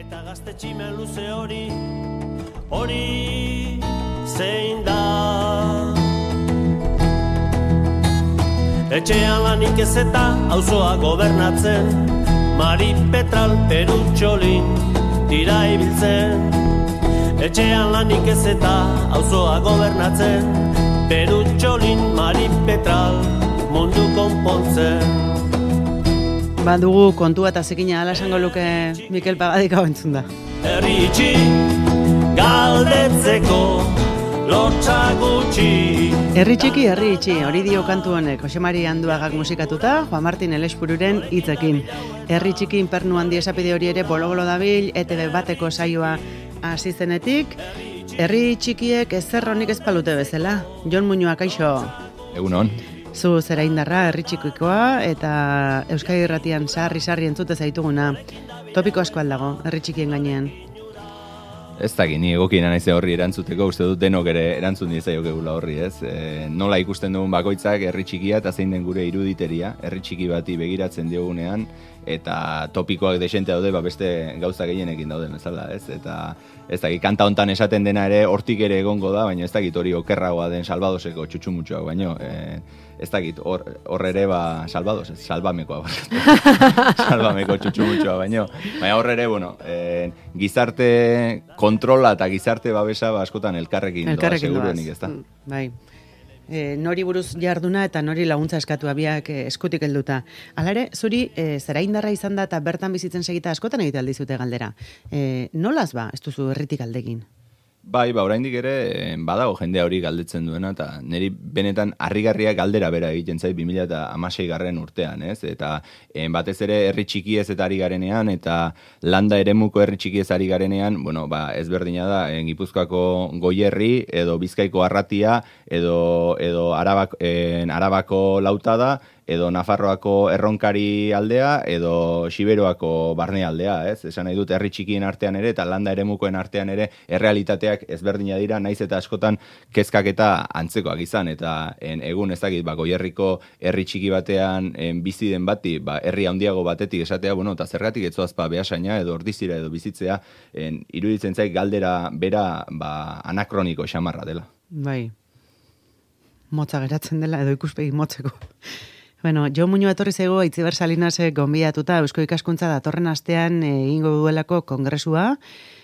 Eta gazte tximen luze hori zein da. Etxean lanik ez eta auzoa gobernatzen, Mari Petral Perutxolin dira ibiltzen. Etxean lanik ez eta auzoa gobernatzen, Perutxolin Mari Petral mundu konpontzen. Badugu kontua eta zekina ala esango luke Mikel Pagadika entzun da. Herri itxi, galdetzeko lotxa gutxi. Herri txiki, herri itxi, hori dio kantu honek, Jose Mari Anduagak musikatuta, Juan Martin Elespururen hitzekin. Herri txiki inpernu handi esapide hori ere bolo-bolo dabil, ETV bateko saioa hasi zenetik. Herri txikiek ezer honik ez palute bezala. Jon Muñoa, kaixo. Egunon. Zu zera indarra, herri txikikoa, eta Euskadi Irratian sarri entzute zaituguna. Topiko asko aldago, herri txikien gainean. Ez dakit, ni egokiena naiz horri erantzuteko, uste dut denok ere erantzun diezaiokegula horri, ez? Nola ikusten dugun bakoitzak herri txikia eta zein den gure iruditeria, herri txiki bati begiratzen diogunean, eta topikoak desente daude, beste gauza gehienekin dauden, ezala, ez? Eta ez dakit, kanta hontan esaten dena ere hortik ere egongo da, baina ez dakit hori okerragoa den Salvadoseko txutxumutxoak, baino, ez dakit, hor ere Salvados, salbamekoa, salbameko txutxumutxoa, baino, hor ere, bueno, gizarte kontrola eta gizarte babesa askotan elkarrekin doa, seguruenik, ez da? Bai. Nori buruz jarduna eta nori laguntza eskatu abiak eskutik helduta. Hala ere, zuri zera indarra izan da eta bertan bizitzen segita askotan egite aldizute galdera. Nolaz ez duzu herritik aldegin? Bai, oraindik ere badago jendea hori galdetzen duena, eta niri benetan harrigarria galdera bera egiten zait 2016 urtean, ez? Eta batez ere herri txikiez eta ari garenean, eta landa eremuko herri txikiez ari garenean, bueno, ezberdina da, Gipuzkoako Goierri, edo Bizkaiko Arratia, edo Arabako Lautada, edo Nafarroako Erronkari aldea, edo Xiberoako Barne aldea, ez? Esan nahi dut herri txikien artean ere, eta landa eremukoen artean ere, errealitateak ezberdina dira, naiz eta askotan kezkak eta antzekoak izan, eta egun ez dakit, Goierriko herri txiki batean bizi den bati, herri handiago batetik esatea, bueno, eta zergatik etzoazpa Beasaina, edo Ordizira, edo bizitzea, iruditzen zait galdera bera anakroniko xamarra dela. Bai, motza geratzen dela, edo ikuspegi motzeko. Bueno, Jon Muñoa etorri zaigu Aitziber Salinasek gonbidatuta Eusko Ikaskuntza datorren astean egingo duelako kongresua,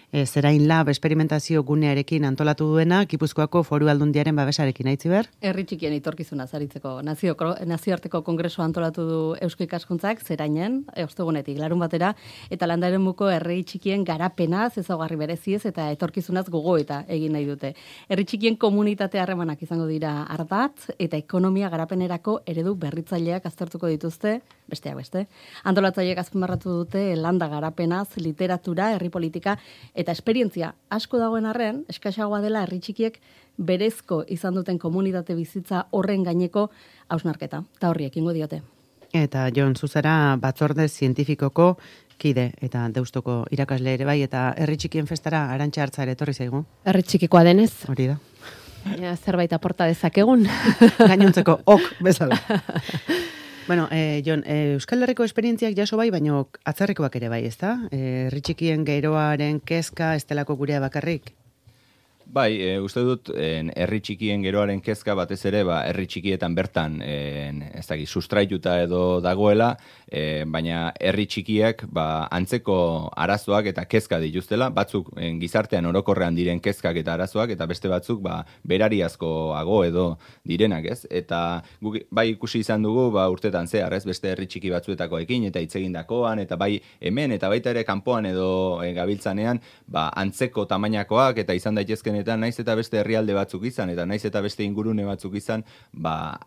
Zerain Lab esperimentazio gunearekin antolatu duena, Gipuzkoako Foru Aldundiaren babesarekin, Aitziber? Herri txikien itorkizuna zaritzeko nazioarteko kongresua antolatu du Eusko Ikaskuntzak Zerainen, ostegunetik larun batera, eta landaremuko herri txikien garapenaz, ezaugarri bereziez eta etorkizunaz gogoeta egin nahi dute. Herri txikien komunitate harremanak izango dira ardatz, eta ekonomia garapenerako eredu berritzaileak aztertuko dituzte, besteak beste. Antolatzaileek azpimarratu dute landa garapenaz, literatura, herri politika, eta esperientzia asko dagoen arren, eskaxagoa dela herri txikiek berezko izan duten komunitate bizitza horren gaineko hausnarketa. Eta horri ekingo diote. Eta Jon, zuzera batzorde zientifikoko kide eta Deustoko irakasle ere bai, eta herri txikien festara Arantxa Hartza ere etorri zaigu. Herri txikikoa denez. Hori da. Zerbait aporta dezakegun. Gainontzeko ok bezala. Bueno, Jon, Euskal Herriko esperientziak jaso bai, baina atzerrikoak ere bai, ezta? Herri txikien geroaren kezka estelako gurea bakarrik? Bai, uste dut, herri txikien geroaren kezka batez ere, herri txikietan bertan, ez dakit, sustraituta edo dagoela, baina herri txikiak antzeko arazoak eta kezka dituztela, batzuk gizartean orokorrean diren kezkak eta arazoak, eta beste batzuk berariazkoago edo direnak, ez? Eta guk bai ikusi izan dugu urtetan zehar, ez? Beste herri txiki batzuetakoekin eta hitz egindakoan, eta bai hemen eta baita ere kanpoan edo gabiltzanean, antzeko tamainakoak eta izan daitezken eta naiz eta beste herrialde batzuk izan, eta naiz eta beste ingurune batzuk izan,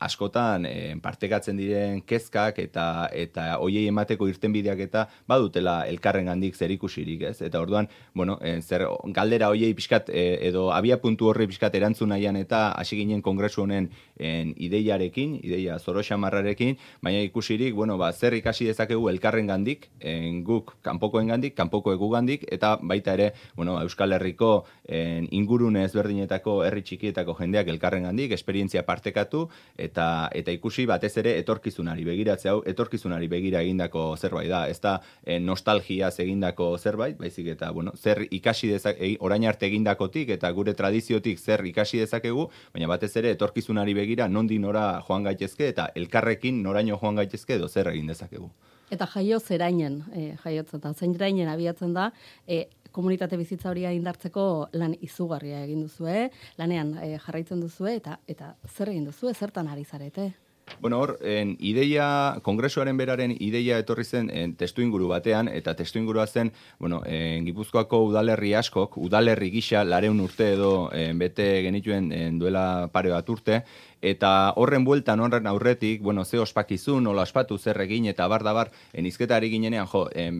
askotan partekatzen diren kezkak eta hoiei emateko irtenbideak eta badutela elkarrengandik zerikusirik, ez? Eta orduan, bueno, zer galdera hoiei pixkat edo abiapuntu horri pixkat erantzun nahian eta hasi ginen kongresu honen ideia zoroxamarrarekin, baina ikusirik, bueno, zer ikasi dezakegu elkarrengandik, guk kanpokoengandik, kanpoko egugandik, eta baita ere, bueno, Euskal Herriko inguru ingurune ezberdinetako herri txikietako jendeak elkarrengandik esperientzia partekatu eta ikusi batez ere etorkizunari begiratzea, hau etorkizunari begira egindako zerbait da, ez da nostalgiaz egindako zerbait, baizik eta zer ikasi orain arte egindakotik eta gure tradiziotik zer ikasi dezakegu, baina batez ere etorkizunari begira nondik nora joan gaitezke eta elkarrekin noraino joan gaitezke edo zer egin dezakegu. Eta jaio zerainen, jaiotzen da, zerainen abiatzen da, komunitate bizitza hori indartzeko lan izugarria egin duzue, lanean jarraitzen duzue, eta zer egin duzue, zertan ari zarete? Hor, ideia, kongresuaren beraren ideia etorri zen testu inguru batean, eta testu ingurua zen, Gipuzkoako udalerri askok, udalerri gisa 200 urte edo bete genituen duela pare bat urte, eta horren bueltan, horren aurretik, ze ospakizun, nola ospatu zer egin, eta bar, izketari ginenean,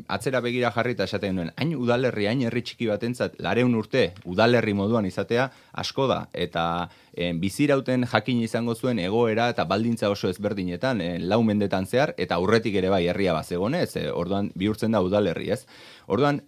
atzera begira jarri eta esaten duen, hain udalerri, hain herri txiki batentzat, 200 urte udalerri moduan izatea, asko da, eta bizirauten jakin izango zuen egoera eta baldintza oso ezberdinetan, 4 mendetan zehar, eta aurretik ere bai herria bazegonez, orduan bihurtzen da udalerri, ez? Orduan,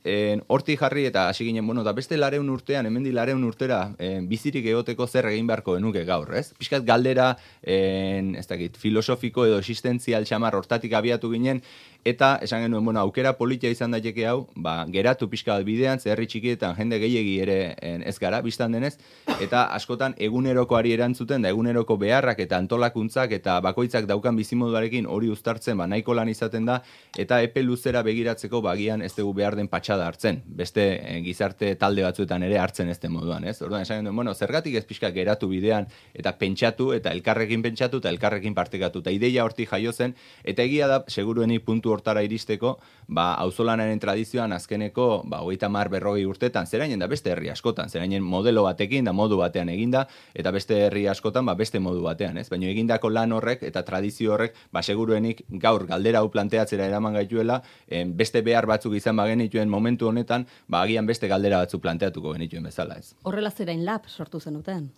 hortik jarri eta hasi ginen, da beste 200 urtean, hemendik 200 urtera bizirik egoteko zer egin beharko genuke gaur, ez? Pixkat galdera, ez dakit, filosofiko edo existentzial xamar hortatik abiatu ginen, eta esan genuen, aukera politia izan daiteke hau, geratu pixka bat bidean, herri txikietan jende gehiegi ere ez gara, biztan denez, eta askotan egunerokoari erantzuten, da eguneroko beharrak eta antolakuntzak eta bakoitzak daukan bizimoduarekin hori uztartzen, nahiko lan izaten da, eta epe luzera begiratzeko bagian ez dugu behar den patxada hartzen, beste gizarte talde batzuetan ere hartzen ez den moduan, ez? Orduan esan genuen, zergatik ez pixka geratu bidean, eta pentsatu, eta elkarrekin pentsatu, eta elkarrekin partekatu, eta ideia hortik jaio zen, eta egia da, seguruenik puntu hortara iristeko, auzolanaren tradizioan azkeneko, 30-40 urtetan, zerainen da beste herri askotan, zerainen modelo batekin, da modu batean eginda, eta beste herri askotan, beste modu batean, ez? Baina egindako lan horrek, eta tradizio horrek, seguruenik gaur galdera hau planteatzera eraman gaituela, beste behar batzuk izan bagenituen momentu honetan, agian beste galdera batzuk planteatuko genituen bezala, ez? Horrela Zerain Lab sortu zenuten?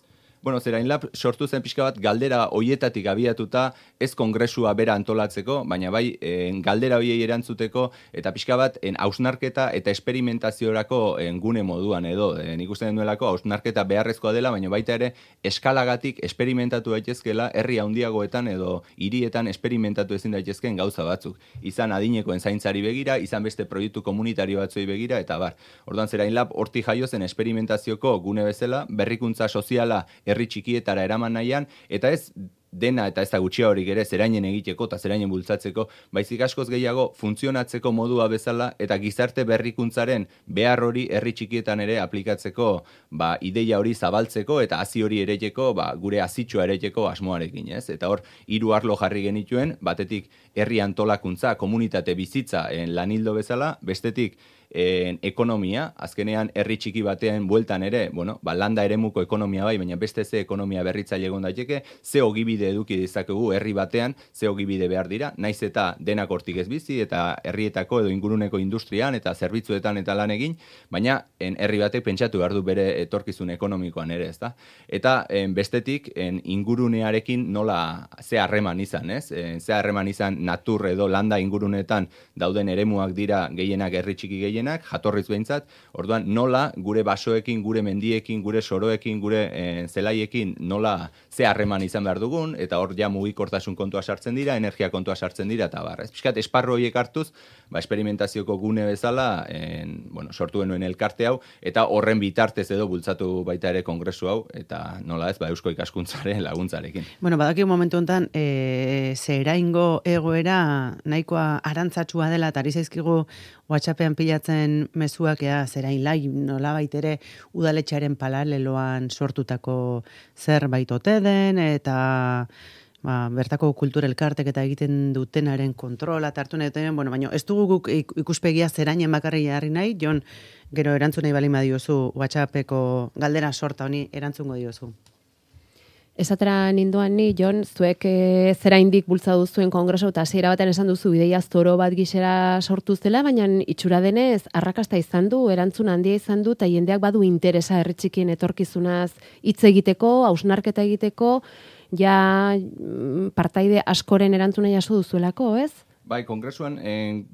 Zerain Lab sortu zen pixka bat galdera hoietatik abiatuta, ez kongresua bera antolatzeko, baina bai galdera hoiei erantzuteko, eta pixka bat hausnarketa eta esperimentaziorako gune moduan edo. Nik uste denuelako hausnarketa beharrezkoa dela, baina baita ere eskalagatik esperimentatu daitezkela herri handiagoetan edo hirietan esperimentatu ezin daitezkeen gauza batzuk. Izan adinekoen zaintzari begira, izan beste proiektu komunitario batzuei begira, eta bar. Orduan Zerain Lab hortik jaio zen esperimentazioko gune bezala, berrikuntza soziala herri txikietara eraman nahian, eta ez dena eta ez da gutxia horik ere zerainen egiteko eta zerainen bultzatzeko, baizik askoz gehiago funtzionatzeko modua bezala eta gizarte berrikuntzaren behar hori herri txikietan ere aplikatzeko ideia hori zabaltzeko eta hazi hori ereteko, gure hazitxoa ereteko asmoarekin, ez? Eta hor, 3 arlo jarri genituen, batetik herri antolakuntza, komunitate bizitza lanildo bezala, bestetik ekonomia, azkenean herri txiki batean bueltan ere, landa eremuko ekonomia bai, baina beste ze ekonomia berritzaile egon daiteke, ze ogibide eduki dezakegu herri batean, ze ogibide behar dira, naiz eta denak hortik ez bizi, eta herrietako edo inguruneko industrian, eta zerbitzuetan eta lan egin, baina herri batek pentsatu behar du bere etorkizun ekonomikoan ere, ezta? Eta bestetik, ingurunearekin nola ze harreman izan, ez? Ze harreman izan natur edo landa ingurunetan dauden eremuak dira gehienak herri txiki gehienak, jatorriz behintzat, orduan nola gure basoekin, gure mendiekin, gure soroekin, gure zelaiekin nola ze harreman izan behar dugun, eta hor ja mugikortasun kontua sartzen dira, energia kontua sartzen dira, eta bar. Piskat, esparru horiek hartuz, esperimentazioko gune bezala, sortu genuen elkarte hau, eta horren bitartez edo bultzatu baita ere kongresu hau, eta nola ez, Eusko Ikaskuntzaren laguntzarekin. Badaki momentu honetan, Zeraingo egoera nahikoa arantzatsua dela, eta ari zaizkigu WhatsAppean pilatzen mezuak Zerain Lab nolabait ere udaletxearen paraleloan sortutako zerbait ote den, eta bertako kultura elkartek eta egiten dutenaren kontrola hartu nahi duten, baina ez dugu guk ikuspegia Zerainen bakarri jarri nahi, Jon, gero erantzun nahi balima diozu WhatsAppeko galdera sorta honi erantzungo diozu. Esatera ninduan ni, Jon, zuek Zeraindik bultzatu zuen kongreso eta hasiera batean esan duzu ideia zoro bat gixera sortu zela, baina itxura denez arrakasta izan du, erantzun handia izan du, eta jendeak badu interesa herri txikien etorkizunaz hitz egiteko, hausnarketa egiteko, ja partaide askoren erantzuna jaso duzuelako, ez? Bai, kongresuan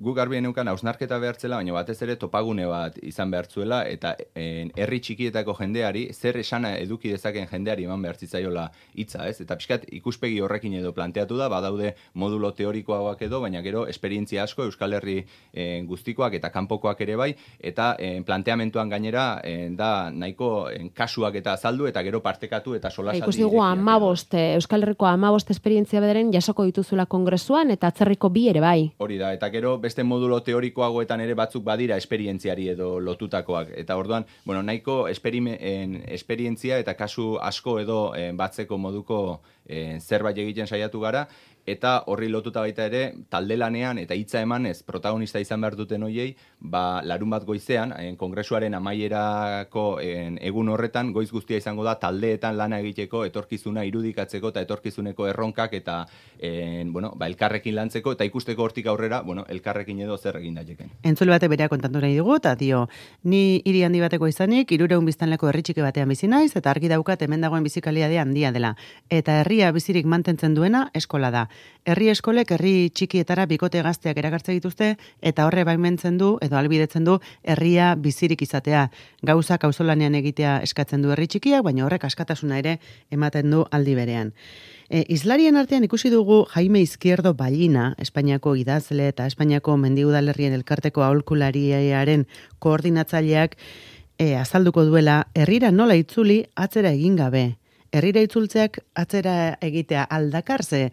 guk garbi geneukan hausnarketa behartzela, baina batez ere topagune bat izan behartzuela, eta herri txikietako jendeari, zer esana eduki dezaken jendeari eman behar zitzaiola hitza, ez? Eta pixkat ikuspegi horrekin edo planteatu da, badaude modulo teorikoagoak edo, baina gero esperientzia asko Euskal Herri guztikoak eta kanpokoak ere bai, eta planteamentuan gainera da nahiko kasuak eta azaldu, eta gero partekatu eta solasaldi. Ikusi dugu 15, Euskal Herriko 15 esperientzia bederen jasoko dituzula kongresuan, eta atzerriko 2 ere bai. Hori da, eta gero beste modulo teorikoagoetan ere batzuk badira esperientziari edo lotutakoak. Eta orduan, bueno, nahiko esperientzia eta kasu asko edo batzeko moduko zerbait egiten saiatu gara, eta horri lotuta baita ere, talde lanean eta hitza emanez protagonista izan behar duten hoiei, larun bat goizean, kongresuaren amaierako egun horretan, goiz guztia izango da taldeetan lana egiteko, etorkizuna irudikatzeko eta etorkizuneko erronkak eta elkarrekin lantzeko, eta ikusteko hortik aurrera, elkarrekin edo zer egin daiteken. Entzule bate berea kontatu nahi dugu, eta dio, ni hiri handi bateko izanik, 300 biztanleko herri txiki batean bizi naiz, eta argi daukat hemen dagoen bizikaliade handia dela. Eta herria bizirik mantentzen duena eskola da. Herri eskolek herri txikietara bikote gazteak erakartzen dituzte, eta horre baimentzen du, edo albidetzen du, herria bizirik izatea. Gauzak auzolanean egitea eskatzen du herri txikiak, baina horrek askatasuna ere ematen du aldi berean. Islarien artean ikusi dugu Jaime Izquierdo Ballina, Espainiako idazle eta Espainiako mendi udalerrien elkarteko aholkulariaren koordinatzaileak azalduko duela, herrira nola itzuli atzera egin gabe. Herrira itzultzeak atzera egitea aldakarze,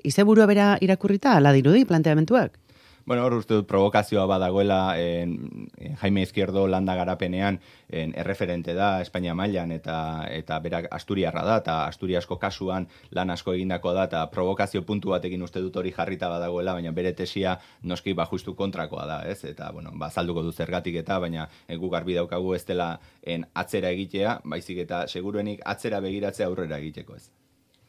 izeburua bera irakurrita, ala dirudi planteamentuak? Bueno, hor uste dut provokazioa badagoela Jaime Izquierdo landa garapenean erreferente da Espainia mailan eta berak asturiarra da, eta asturiasko kasuan lan asko egindako da, eta provokazio puntu batekin uste dut hori jarrita badagoela, baina bere tesia noski justu kontrakoa da, ez? Eta, azalduko du zergatik eta, baina gu garbi daukagu ez dela atzera egitea, baizik eta seguruenik atzera begiratzea aurrera egiteko, ez?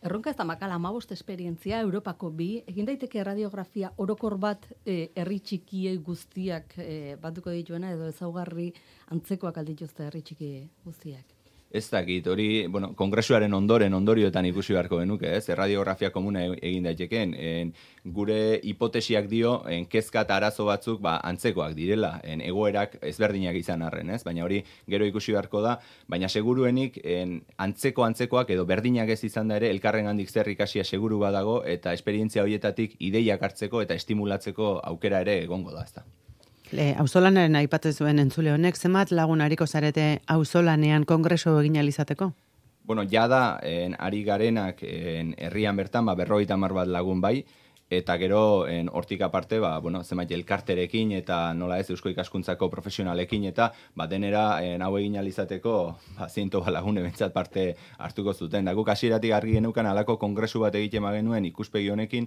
Erronka ez da makala 15 esperientzia, Europako 2, egin daiteke radiografia orokor bat herri txiki guztiak batuko dituena, edo ezaugarri antzekoak aldituzte herri txiki guztiak. Ez dakit, hori, kongresuaren ondorioetan ikusi beharko genuke, ez? Radiografia komuna egin daiteken. Gure hipotesiak dio, kezka eta arazo batzuk antzekoak direla, egoerak ezberdinak izan arren, ez? Baina hori gero ikusi beharko da, baina seguruenik antzekoak edo berdinak ez izan da ere, elkarren handik zer ikasia seguru badago, eta esperientzia horietatik ideiak hartzeko eta estimulatzeko aukera ere egongo da, ez da. Auzolanaren aipatzen zuen entzule honek, zenbat lagun hariko zarete auzolanean kongreso egin alizateko? Jada, ari garenak herrian bertan, 50 bat lagun bai, eta gero hortik aparte, zenbait elkarterekin eta nola ez Eusko Ikaskuntzako profesionalekin eta denera hau egin alizateko 100 lagun ebentzat parte hartuko zuten. Da guk hasieratik argi geneukan halako kongresu bat egiten genuen ikuspegi honekin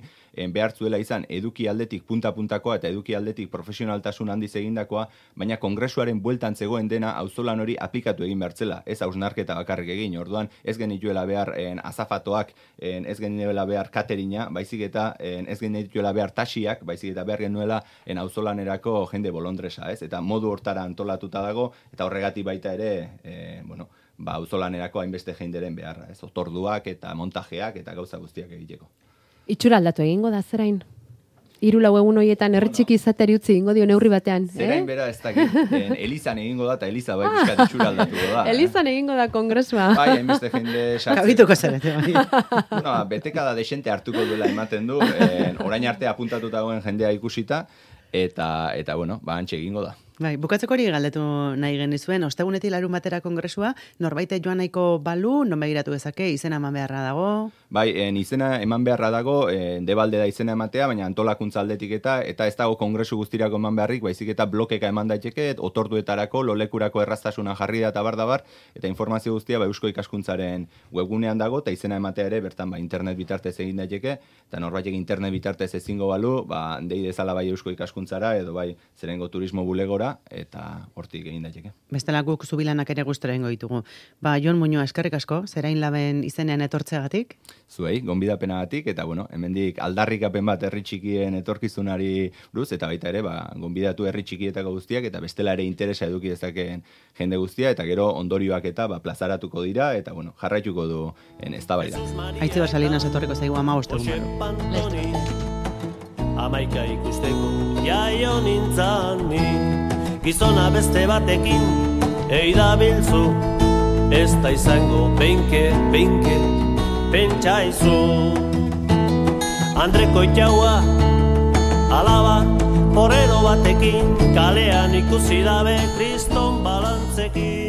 behartzuela izan eduki aldetik punta-puntakoa eta eduki aldetik profesionaltasun handiz egindakoa, baina kongresuaren bueltan zegoen dena auzolan hori aplikatu egin behartzela, ez hausnarketa bakarrik egin. Orduan ez genituela behar azafatoak, ez genituela behar cateringa, baizik eta ez genituela behar tasiak, baizik eta behar genuela auzolanerako jende bolondresa, ez? Eta modu hortara antolatuta dago, eta horregatik baita ere, auzolanerako hainbeste jenderen beharra, ez? Otorduak eta montajeak eta gauza guztiak egiteko. Itxura aldatu egingo da, zerain? 3-4 egun horietan herritxiki izateri utzi egingo dio neurri batean. Zerain bera ez dakit, Elizan egingo da, eta Eliza bai bizkat itxura aldatuko da. Elizan egingo da kongresua. Bai, hainbeste jende sartzen. Kabituko zarete, bai. Betekada desente hartuko duela ematen du, orain arte apuntatuta dagoen jendea ikusita, eta hantxe egingo da. Bai, bukatzeko hori galdetu nahi genizuen, ostegunetik larun batera kongresua, norbaite joan nahiko balu, non begiratu dezake, izena eman beharra dago? Bai, izena eman beharra dago, debalde da izena ematea, baina antolakuntza aldetik eta ez dago kongresu guztirako eman beharrik, baizik eta blokeka eman daiteke, otorduetarako, lolekurako erraztasuna jarri da eta bar, eta informazio guztia Eusko Ikaskuntzaren webgunean dago, eta izena ematea ere, bertan internet bitartez egin daiteke, eta norbaitek internet bitartez ezingo balu, dei dezala bai Eusko Ikaskuntzara, edo bai Zerengo Turismo bulegora, eta hortik egin daiteke. Bestela guk zubilanak ere gustora egingo ditugu. Jon Muñoa, eskerrik asko, Zerain Laben izenean etortzeagatik? Zuei, gonbidapenagatik, eta hemendik aldarrikapen bat herri txikien etorkizunari buruz, eta baita ere, gonbidatu herri txikietako guztiak, eta bestela ere interesa eduki dezakeen jende guztia, eta gero ondorioak eta plazaratuko dira, eta jarraituko du eztabaida. Aitziber Salinas etorriko zaigu 15 egun. Amaika ikusteko jaio nintzan ni. Gizona beste batekin eidabiltzu, ez da izango beinke, pentsaizu. Andreko itaua, alaba, porrero batekin, kalean ikusi dabe kriston balantzekin.